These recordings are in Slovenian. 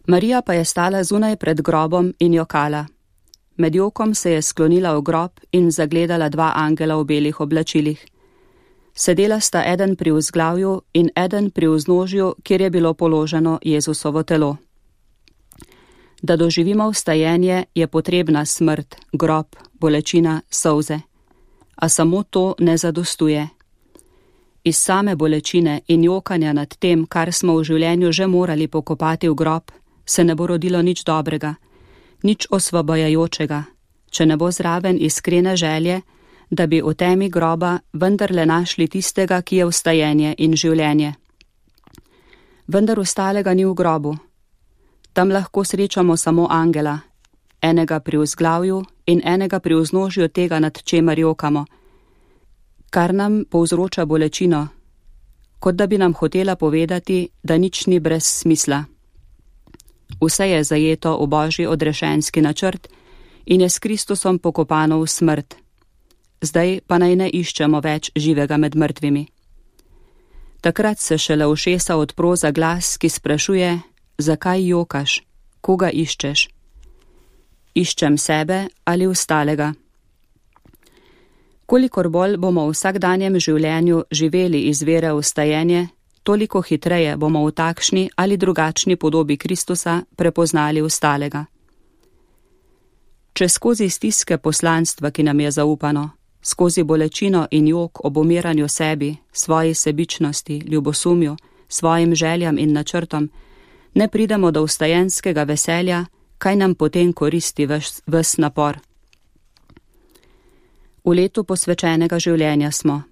Marija pa je stala zunaj pred grobom in jokala. Med jokom se je sklonila v grob in zagledala 2 angela v belih oblačilih. Sedela sta eden pri vzglavju in eden pri vznožju, kjer je bilo položeno Jezusovo telo. Da doživimo vstajenje, je potrebna smrt, grob, bolečina, solze. A samo to ne zadostuje. Iz same bolečine in jokanja nad tem, kar smo v življenju že morali pokopati v grob, se ne bo rodilo nič dobrega, nič osvobajajočega, če ne bo zraven iskrene želje, da bi v temi groba vendarle našli tistega, ki je vstajenje in življenje. Vendar vstalega ni v grobu. Tam lahko srečamo samo angela, enega pri vzglavju in enega pri vznožju tega, nad čemer jokamo, kar nam povzroča bolečino, kot da bi nam hotela povedati, da nič ni brez smisla. Vse je zajeto v Božji odrešenski načrt in je s Kristusom pokopano v smrt. Zdaj pa naj ne iščemo več živega med mrtvimi. Takrat se šele ušesa odpro za glas, ki sprašuje, zakaj jokaš, koga iščeš? Iščem sebe ali ostalega. Kolikor bolj bomo v vsakdanjem življenju živeli iz vere v vstajenje, toliko hitreje bomo v takšni ali drugačni podobi Kristusa prepoznali ostalega. Če skozi stiske poslanstva, ki nam je zaupano, skozi bolečino in jok ob umiranju sebi, svoji sebičnosti, ljubosumju, svojim željam in načrtom, ne pridemo do vstajenskega veselja, kaj nam potem koristi ves napor. V letu posvečenega življenja smo.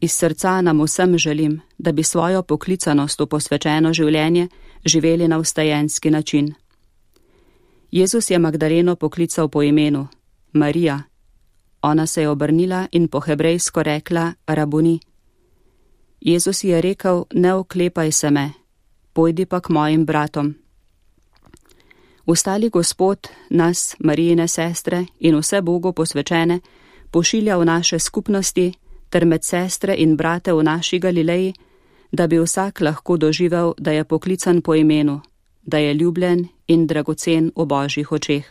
Iz srca nam vsem želim, da bi svojo poklicanost v posvečeno življenje živeli na vstajenski način. Jezus je Magdaleno poklical po imenu, Marija. Ona se je obrnila in po hebrejsko rekla Rabuni. Jezus je rekel, ne oklepaj se me, pojdi pa k mojim bratom. Vstali Gospod nas, Marijine sestre in vse Bogu posvečene, pošilja v naše skupnosti ter med sestre in brate v naši Galileji, da bi vsak lahko doživel, da je poklican po imenu, da je ljubljen in dragocen v Božjih očeh.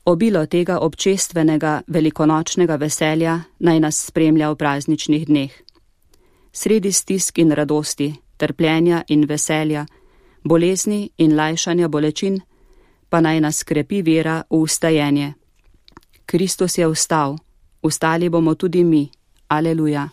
Obilo tega občestvenega velikonočnega veselja naj nas spremlja v prazničnih dneh. Sredi stisk in radosti, trpljenja in veselja, bolezni in lajšanja bolečin, pa naj nas krepi vera v vstajenje. Kristus je vstal, vstali bomo tudi mi. Aleluja.